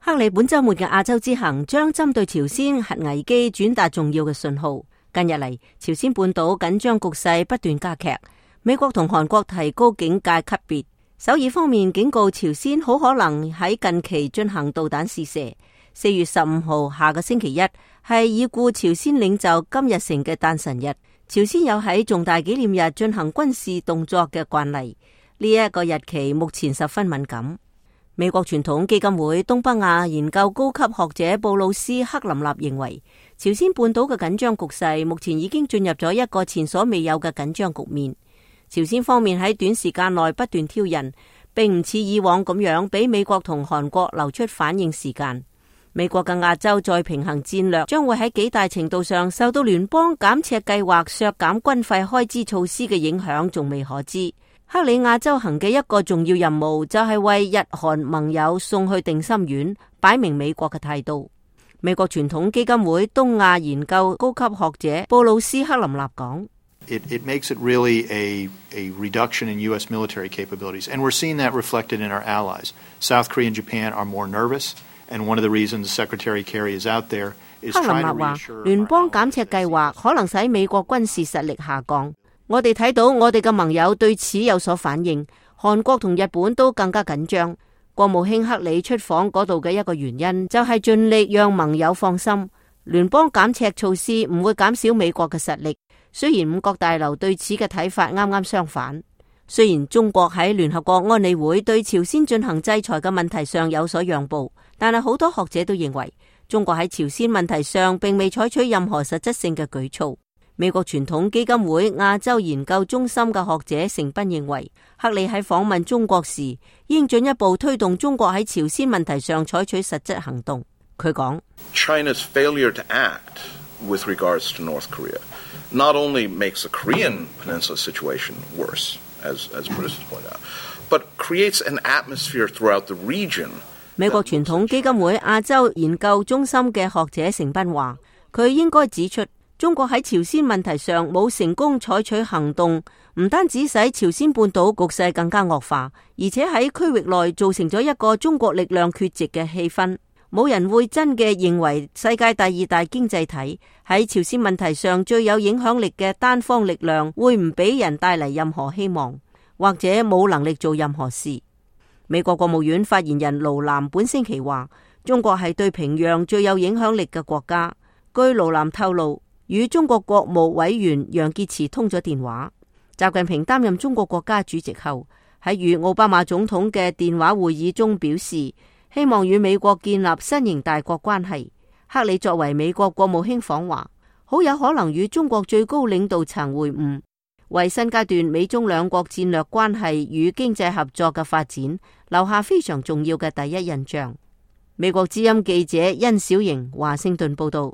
克里本週末嘅亞洲之行將針對朝鮮核危機轉達重要嘅信號。近日嚟，朝鮮半島緊張局勢不斷加劇，美國同韓國提高警戒級別。首爾方面警告朝鮮好可能喺近期進行導彈試射。4月15號下個星期一係已故朝鮮領袖金日成嘅誕辰日，朝鮮有喺重大紀念日進行軍事動作嘅慣例，呢一個日期目前十分敏感。美國傳統基金會東北亞研究高級學者布魯斯克林納認為，朝鮮半島嘅緊張局勢目前已經進入咗一個前所未有嘅緊張局面。朝鮮方面喺短時間內不斷挑釁，並唔似以往咁樣俾美國同韓國留出反應時間。美國嘅亞洲再平衡戰略將會喺幾大程度上受到聯邦減赤計劃削減軍費開支措施嘅影響，仲未可知。克里亞洲行嘅一個重要任務就係為日韓盟友送去定心丸，擺明美國嘅態度。美國傳統基金會東亞研究高級學者布魯斯克林納講：It makes it really a reduction in U.S. military capabilities, and we're seeing that reflected in our allies. South Korea and Japan are more nervous, and one of the reasons Secretary Kerry is out there is trying to reassure. 聯邦減赤計劃可能使美國軍事實力下降。我哋睇到我哋嘅盟友對此有所反應，韓國同日本都更加緊張。國務卿克里出訪嗰度嘅一個原因就係盡力讓盟友放心，聯邦減赤措施唔會減少美國嘅實力。雖然五角大樓對此嘅睇法啱啱相反。雖然中國喺聯合國安理會對朝鮮進行制裁嘅問題上有所讓步，但係好多學者都認為中國喺朝鮮問題上並未採取任何實質性嘅舉措。美國傳統基金會亞洲研究中心嘅學者成斌認為，克里喺訪問中國時應進一步推動中國喺朝鮮問題上採取實質行動。佢講 China's failure to act with regards to North Korea not only makes the Korean Peninsula situation worse, as Bruce pointed out, but creates an atmosphere throughout the region. 美國傳統基金會亞洲研究中心嘅學者成斌話，佢應該指出，中國喺朝鮮問題上冇成功採取行動，唔單止使朝鮮半島局勢更加惡化，而且喺區域內造成咗一個中國力量缺席嘅氣氛。冇人會真嘅認為世界第二大經濟體喺朝鮮問題上最有影響力嘅單方力量會唔俾人帶嚟任何希望，或者冇能力做任何事。美國國務院發言人盧南本星期話，中國係對平壤最有影響力嘅國家。據盧南透露，與中國國務委員楊潔篪通咗電話。習近平擔任中國國家主席後，喺與奧巴馬總統嘅電話會議中表示，希望與美國建立新型大國關係。克里作為美國國務卿訪華，好有可能與中國最高領導層會晤，為新階段美中兩國戰略關係與經濟合作嘅發展留下非常重要嘅第一印象。美國之音記者殷小瑩華盛頓報道。